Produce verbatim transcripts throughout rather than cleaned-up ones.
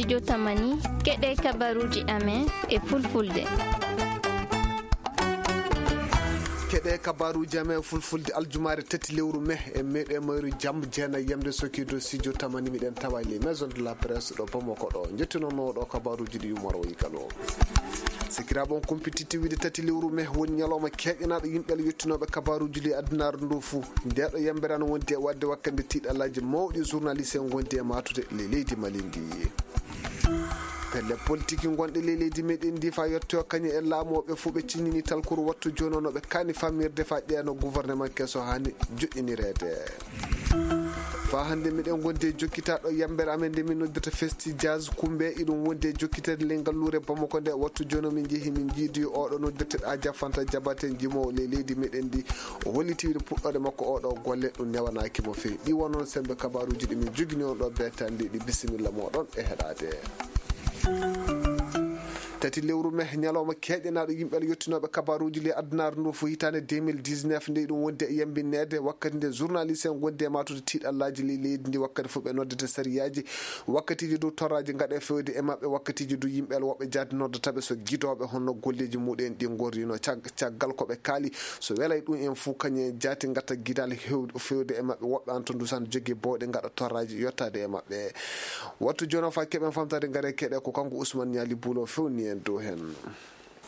Studio Tamani, keɗe kabaruuji amen e fulfulde. Keɗe kabaruuji amen e fulfulde aljumaare tati lewru me e meɗe mayru jam jeenayi yamde sokiido studio Tamani miɗen tawa les maison de la presse ɗo Bamako ɗo. Njettunono ɗo kabaruuji ɗi Umar o yigano. Sikiraaɓe on kumpititti wiide tati lewru me woni ñalawma keeƴanaaɗo yimɓe Allah yettunooɓe kabaruuji ley addunaare ndu fuu. Nde ɗo yambere ana wondi e waɗde wakkande tiiɗallaaji mawɗi journaliste en ngondi e maatude ley leydi Mali ndi. Pelle politiki gonɗe ley leydi meɗen ndi fa yetto kañe e laamooɓe fuu ɓe ciññini talkuru wattu jooni no ɓe kaani famirde fa ƴeeno gouvernement keso haani joɗɗinireede. Fa hannde miɗen gondi e jokkitaɗo yambere amen nde min noddirta Festi Jazz Kumbe, iɗum wondi e jokkitede ley ngalluure Bamako nde. Wattu jooni min njehi min njiidi oɗo noddirteɗo Aja Fanta Jabate, jimowo ley leydi meɗen ndi. O holliti wiide puɗɗoɗe makko oɗo golle ɗum newanaaki mo feewi. Ɗi wonno sembe kabaruuji ɗi min jogini on ɗo beetandi ɗi. Bisimilla moɗon e heɗade. Tati lewru me ñalawma keeƴanaaɗo yimɓe Allah yettinooɓe kabaruuji ley addunaare ndu fof hitaande deux mille dix-neuf nde ɗum wondi e yambinneede wakkati nde journaliste en gondi e maatude tiiɗallaaji ley leydi ndi wakkati fof ɓe noddata sariyaaji wakkatiiji dow torraaji ngaɗe fewde e maɓɓe wakkatiiji dow yimɓe Allah woɓɓe jaade noddata ɓe so gidooɓe honno golleeji muɗen ɗi ngorrino cag- caggal ko ɓe kaali so welay ɗum en fof kañum en jaati ngatta gidaal hew- fewde e maɓɓe woɓɓe an to ndusan jogii bowɗe ngaɗa torraaji yottaade e maɓɓe. Wattu jooni o fa keɓen famtade ngare keɗe ko kanko Ousmane Niali Bulo fewni en dow hen.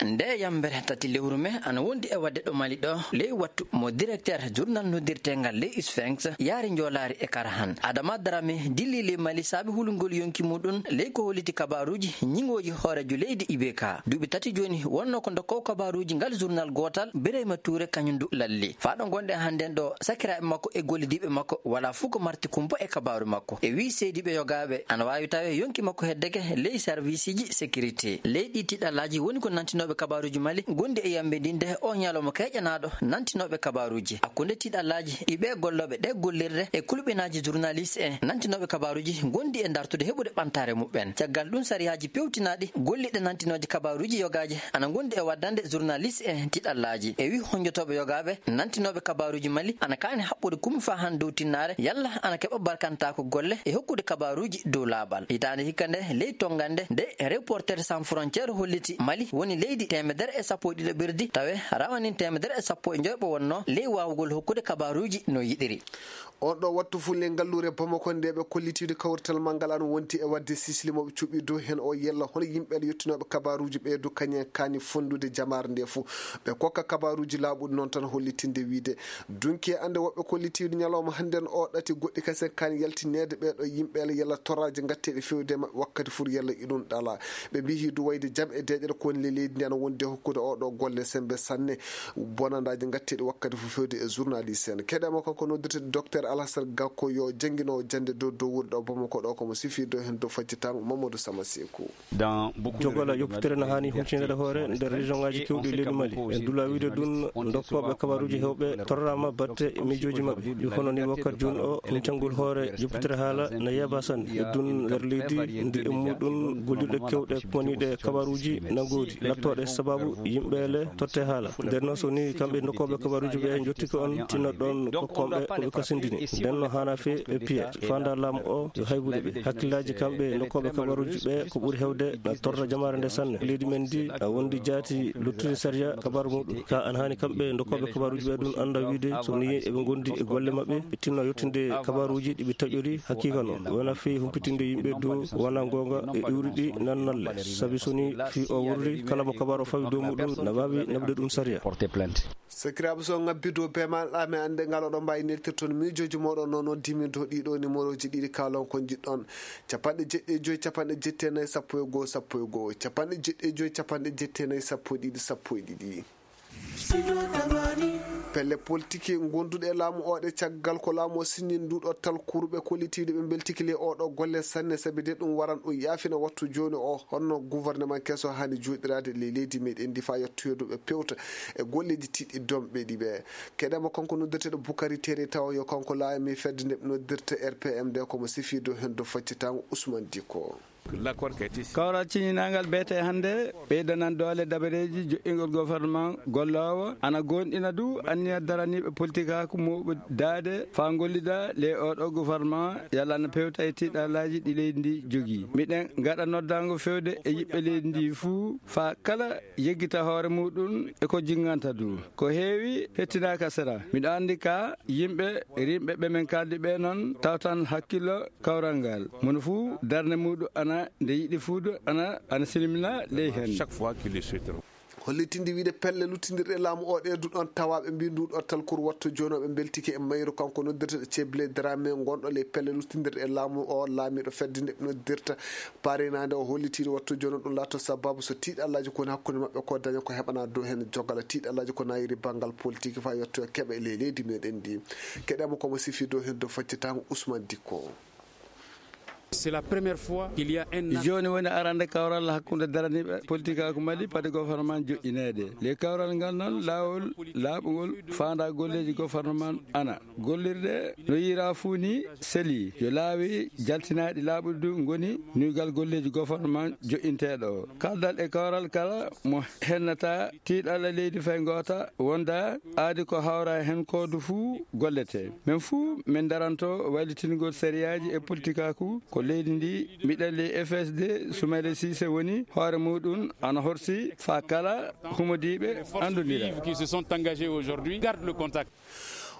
Nde yambere tati lewru me ana wondi e wadde ɗo Mali ɗo ley wattu mo directeur journal noddirtengal ley Sphinx yaari njoolaari e Karahan. Adama Darame dilli ley Mali saabi hulungol yonki muɗum ley ko holliti kabaruuji ñingooji hooreejo leydi I B K. Duuɓi tati jooni wonno ko dokkowo kabaruuji ngal journal gootal Birayma Tuure kañum du lalli. Faa ɗo ngonɗen hannden ɗo sakiraaɓe makko e gollidiiɓe makko wala fuu ko marti kumpa e kabaaru makko. E wii seediiɓe yogaaɓe ana waawi tawe yonki makko heddeke ley sarwiisiji sécurité. Ley ɗi tiiɗallaaji woni ko nantinooɓe kabaaruuji Mali gondi e yambe ndinde o ñalawma keeƴanaaɗo nantinooɓe kabaaruuji. Hakkunde tiiɗallaaji ɗi ɓee gollooɓe ɗee gollirɗe e kulɓinaaji journaliste en nantinooɓe kabaaruuji gondi e dartude heɓude ɓantaare muɓɓen. Caggal ɗum sariyaaji pewtinaaɗi golliɗe nantinooje kabaaruuji yogaaje ana gondi e waddande journaliste en tiiɗallaaji. E wii honjotooɓe yogaaɓe nantinooɓe kabaaruuji Mali ana kaani haɓɓude kumi faa han dow tinnaare yalla ana keɓa barkantaako golle e hokkude kabaaruuji dow laaɓal. Hitaande hikka nde ley tonngande nde Reporters Sans Frontières holliti Mali woni leydi teemedere e sappo e ɗiɗo ɓerdi tawe rawanin teemedere e sappo e njoyɓo wonno ley waawugol hokkude kabaaruuji no yiɗiri. On ɗo wattu fulle ngalluure Bamako nde ɓe kollitiiɗo kawrital manngal an wonti e waɗde sisli mo ɓe cuɓi dow heen o yella hono yimɓe yettinooɓe kabaaruuji ɓee du kañen kaani fonndude jamaare nde fof ɓe kokka kabaaruuji laaɓuɗi noon tan hollitinde wiide dunki e annde woɓɓe kollitiiɗo ñalawma hannden o ɗati goɗɗi kasen kaani yaltineede ɓee ɗo yimɓe yella torraaji ngatteeɗi fewde e maɓɓe wakkati fur yella iɗum ɗala ɓe mbiyi du wayde jam e deeƴere ko woni le leydi ndi ana wondi e hokkude o ɗo golle sembe sanne bonandaaji ngatteeɗi wakkati fof fewde e journaliste en keɗema kanko noddirteɗo docteur Alassane Gakko yo jannginoowo jannde dow dow wuuri ɗo Bamako ɗo komo sifi dow heen dow faccitango Mamadou Sama Seku. Jogola yoppitere no haani huccindere hoore nder région ngaji kewɗi leydi Mali e dula wiide ɗum dokkooɓe kabaruuji hewɓe torrama batte miijooji maɓɓe ɗi hono ni wakkati jooni o min canngol hoore yoppitere haala no yeeba sanne e ɗum nder leydi ndi e muɗum gollirɗe kewɗe poniɗe kabaruuji na ngoodi lattooɗe sababu yimɓe le totte haala nden noon so ni kamɓe dokkooɓe kabaruuji ɓe jottike on tinno ɗon kokkonɓe koɓe kasindini nden no haana fee ɓe piya fanda laamu o yo haybude ɓe hakkillaaji kamɓe dokkooɓe kabaruuji ɓe ko ɓuri hewde na torra jamaare nde sanne leydi men ndi a wondi jaati luttude sariya kabaru muɗum ka an haani kamɓe dokkooɓe kabaruuji ɓe ɗum annda wiide so ni eɓe ngondi e golle maɓɓe ɓe tinno yettinde kabaruuji ɗi ɓe taƴori hakiika noon wona fii humpitinde yimɓe dow wona goonga e iwri ɗi nannalle sabi so ni fii o wurri kala mo kabaru o fawi dow muɗum na waawi naɓude ɗum sariya. Sakiraaɓe so ngabbi dow beemal ɗame annde ngal oɗo mbawi neltirton miijooji moɗon noon noddimi dow ɗiɗo numéroji ɗiɗi kalon ko jiɗɗon capanɗe jeɗɗi e joyi capanɗe jetti e nayi sappo e goho sappo e goho capanɗe jeɗɗi e joyi capanɗe jetti e nayi sappo e ɗiɗi sappo e ɗiɗi. Pelle politiki gonduɗe e laamu oɗe caggal ko laamu o signini nduɗo talkuru ɓe kollitiiɗo ɓe mbeltiki ley oɗo golle sanne sabi de ɗum waran ɗum yaafina wattu jooni o honno gouvernement keso hani joɗirade ley leydi meɗen ndi fa yettoyoduɓe pewta e golleji tiɗɗi domɓe ɗi ɓe keɗema kanko noddeteɗo Bukari Tere tawa yo kanko laami fedde nde ɓe noddirta R P M nde komo sifi dow hen dow faccitango Ousmane Diko. Kawral ciñinaangal beete hannde ɓeydanan doole dabareeji joƴƴingol gofornman golloowo, ana goonɗina du anniya daraniiɓe politikaaku mooɓudaade faa ngollida ley oo ɗoo gofornman, yalla ana pewta e tiiɗalaaji ɗi leydi ndi jogii. Miɗen ngaɗa noddaango fewde e yiɓɓe leydi ndi fuu faa kala yeggita hoore muuɗum e ko jinnganta du. Ko heewi hettinaaka sera. Miɗo anndi ka yimɓe rimɓe ɓe men kaaldi ɓe noon tawtan hakkillo kawral ngal. Mono fuu darnde muuɗum ana nde yiɗi fuudu ana, ana silmina ley heen. Chaque fois qu'il le souhaitera. Hollitinde wiide pelle luttindirɗe laamu o ɗe du ɗoon tawaaɓe mbii ndu ɗo talkuru wattu jooni o ɓe mbeltike e mayru kanko noddirteɗo ceeble drame ngonɗo ley pelle luttindirɗe laamu o laamiiɗo fedde nde ɓe noddirta Parinaande o hollitiiɗo wattu jono ɗum laatoo sababu so tiiɗallaaji ko woni hakkunde maɓɓe ko daña ko heɓanaa dow heen jogala tiiɗallaaji ko naayiri banngal politik faa yettoyo keɓa e ley leydi meɗen ndi. Keɗeemo ko mo sifi dow heen dow faccitaango Ousmane Dikko. C'est la première fois qu'il y a un acte. Jooni woni arande kawral hakkunde daraniiɓe politikaaku Mali padi gouvernement joƴƴineede. Le kawral ngal noon laawol laaɓungol faandaa golleeji gouvernement ana gollirde no yiiraa fuu ni selii. Yo laawi jaltinaaɗi laaɓuɗi du ngoni nuygal golleeji gofornman joƴƴinteeɗo o. Kaldal e kawral kala mo hennata tiiɗalla leydi fay ngoota wonda aadi ko hawra heen koodu fuu gollete. Men fuu men daranto waylitingol sariyaaji e politikaaku ko leydi ndi miɗen ley F S D Soumaïla Cissé woni hoore muuɗum ana horsi faa kala humodiiɓe anndondira. Qui se sont engagés aujourd'hui gardent le contact.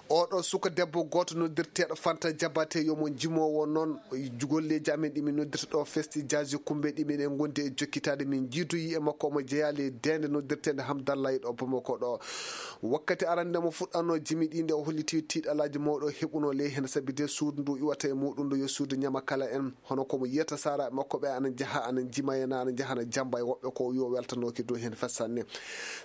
Oɗo suka debbo gooto noddirteeɗo Fanta Jabate yo mo jimoowo noon golleeji amen ɗi min noddirta ɗo festi jaaji kumbe ɗi min e gondi e jokkitaade min jiidoyi e makko omo jeyaa ley deende noddirteende Hamdallah e ɗo Bamako ɗo. Wakkati arande mo fuɗɗanno jimi ɗi nde o holliti tiiɗalaaji mawɗo heɓuno ley heen sabi de suudu ndu iwata e muɗum ndu yo suudu ñama kala en. Hono ko mo yiyata saaraaɓe makko ɓe ana njaha ana njima e na ana njaha ana jamba e woɓɓe ko yo weltanooki dow heen fes sanne.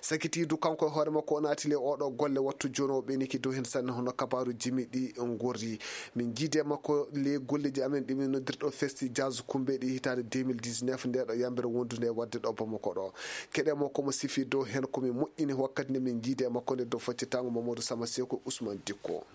Sakitiidu kanko e hoore makko o naati le oɗo golle wattu jooni o ɓeniki dow heen sanne hono kabaaru jimi ɗi ngorri. Min jiidi e makko le golleeji amen ɗi min noddirɗo festi jaz kumbe ɗi hitaande deux mille dix-neuf nde ɗo yambere wondude e waɗde ɗo Bamako ɗo. Keɗe mo ko mo sifi dow heen ko min moƴƴini wakkati nde min jiidi e makko nde dow faccitango Mamadou Sama Seko Ousmane Dikko.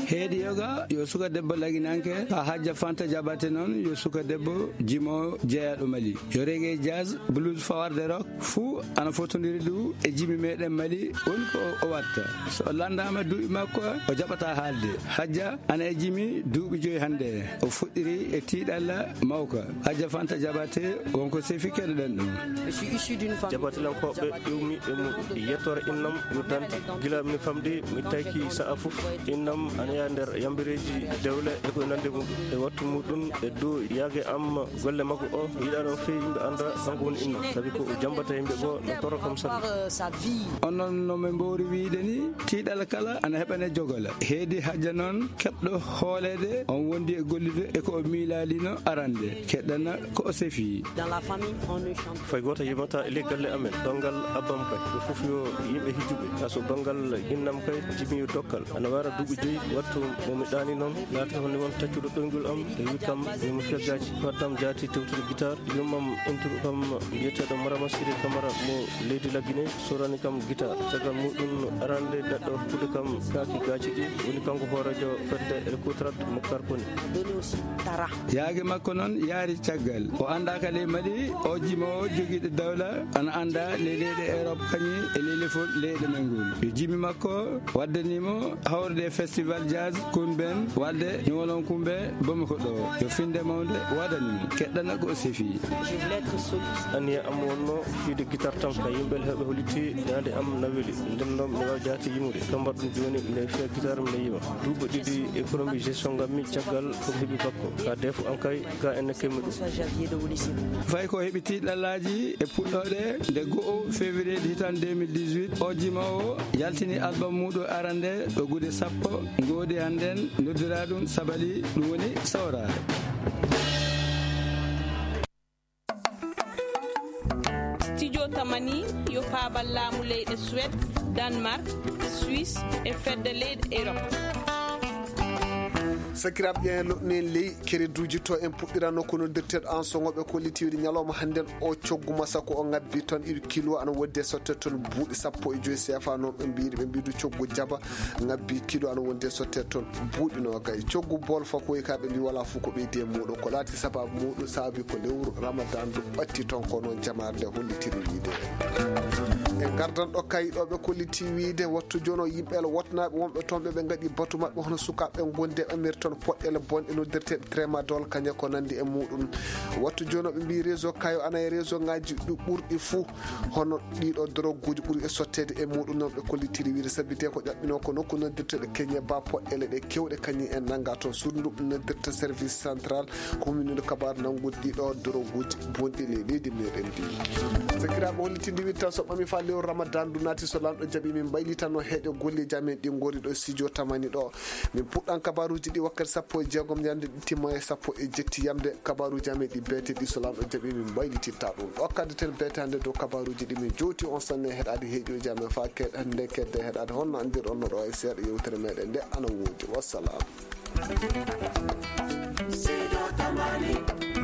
Heedi yoga yo suka debbo laginanke ka hajja Fanta Jabate noon yo suka debbo jimo jeyaɗo Mali yo reggae jazz blues fawarde rock fuu ana fotondiri du e jimi meɗen Mali woni ko o watta so o landama duuɓi makko o jaɓata haalde hajja ana e jimi duuɓi joyi hannde o fuɗɗiri e tiiɗalla mawka hajja Fanta Jabate wonko sefi keɗoɗen ɗum. Jabatilankooɓe iwmi e muɗum yettore innam yo dante gila mi famdi mi tayki sa'a fof innam ana yaa nder yambireeji dewle e koye nande mum e wattu muɗum e dow yaage am golle makko o yiɗano fewi yimɓe anda kanko woni innam sabi ko o jambata yimɓe goo no toro kam sabi. On noon no min mbowri wiide ni tiiɗal kala ana heɓane jogola heedi hajja noon keɓɗo hooleede on wondi e gollude e ko o miilaalino arande keɗɗana ko o sefi. Fay gooto yimata e ley galle amen banngal abbam kay ɓe fof yo yimɓe hijjuɓe kaa so banngal innam kay jimi yo dokkal ana wara duuɓi joyi wattu mo mi ɗaani noon laata honi won taccuɗo ɗoyngol am e wi kam yomi feggaaji waddam jaati tewtude guitar yummam enturu kam mbiyeteeɗo marama siri camara mo leydi laggine sorani kam guitar caggal muɗum arande neɗɗo huɗo kam kaaki gaaci ɗi woni kanko hooreejo fedde e kutrat mo karkoni. Yaage makko noon yaari caggal o anndaaka ley Mali o jimoowo jogiiɗo dawla ana annda ley leyɗe Europe kañum e ley lefol leyɗe men ngol yo jimi makko waddaniimo hawrude e festival jazz kunben walde ñowolon kumbe Bamako ɗo yo finde mawnde waɗanimo keɗɗana ko o sefi. Aniya am wonno fiide guitar tan ka yimɓe heɓe holiti daande am na weli nden noon mi wawa jaati yimude ka mbaɗɗum joni mine fiya guitar mine yima duuɓi ɗiɗi économie gestion ngammi caggal ko heɓi bakko ka defu an kay ga enne kemmi ɗum. Fay ko heɓi tiɗɗallaaji e puɗɗoɗe nde go'o février hitan deux mille dix-huit o jima o yaltini album muɗum arande ɗo gude sappo ngoodi hannden noddira ɗum sabali ɗum woni sawraare. Studio Tamani yo paabal laamu leyɗe Suède, Danemark, Suisse e fedde leyɗe Europe. Sakiraaɓe, ƴeewen loɗɗinen ley kereduuji to. En puɗɗirano ko noddirteeɗo an soŋo ɓe kollitiiɗi ñalawma hannden o coggu masako o ŋabbi ton ɗiɗi kilo ana wonde sotte ton buuɗi sappo e joy seefa noon ɓe mbiiri ɓe mbiidu coggu jaba ŋabbi kilo ana wonde sotte ton buuɗi noogay. Coggu bool fakoy ka ɓe mbi wala fof ko ɓeydi e muuɗum ko laati sababu muuɗum sababi ko lewru ramadan ɗum ɓatti ton ko noon jamaare nde hollitiri wiide. E ngardan ɗo kay ɗo ɓe kolliti wiide wattu jono yimɓe la wotnaaɓe wonɓe toon ɓe ɓe ngaɗi batu maɓɓe hono sukaaɓe gonde ɓe mari toon poɗɗele bonɗe noddirteeɗe tramadol kañe ko nandi e muuɗum. Wattu jono ɓe mbi réseau kayo ana e réseau ngaji ɗi ɓurɗi fuu hono ɗiɗo droguuji ɓuri e sotteede e muuɗum noon ɓe kollitiri wiide sabite ko ƴaɓɓino ko nokku noddirteeɗe keñe ba poɗɗele ɗe kewɗe kañum en nannga toon suudu ndu noddirta service central ko humminino kabaaru nanngude ɗiɗo droguuji bonɗi ley leydi meɗen ndi. Sakiraaɓe hollitindi wiide tan so ɓami fa lewru ramadan ndu naati so lanɗo jaɓi min mbaylitanno heeƴo golleeji amen ɗi ngori ɗo studio tamani ɗo. Min puɗɗan kabaaruuji ɗi wakkati sappo e jeegom ñande ɗi timma e sappo e jetti yamde kabaaruuji amen ɗi beete ɗi so lanɗo jaɓi min mbaylititta ɗum ɗo kaddaten beetande dow kabaaruuji ɗi min jowti on sanne heɗaade heeƴooji amen fa keɗ nde kedde heɗaade honno anndirɗon no ɗo e seeɗa yewtere meɗen nde ana woodi wassalam. Sido Tamani.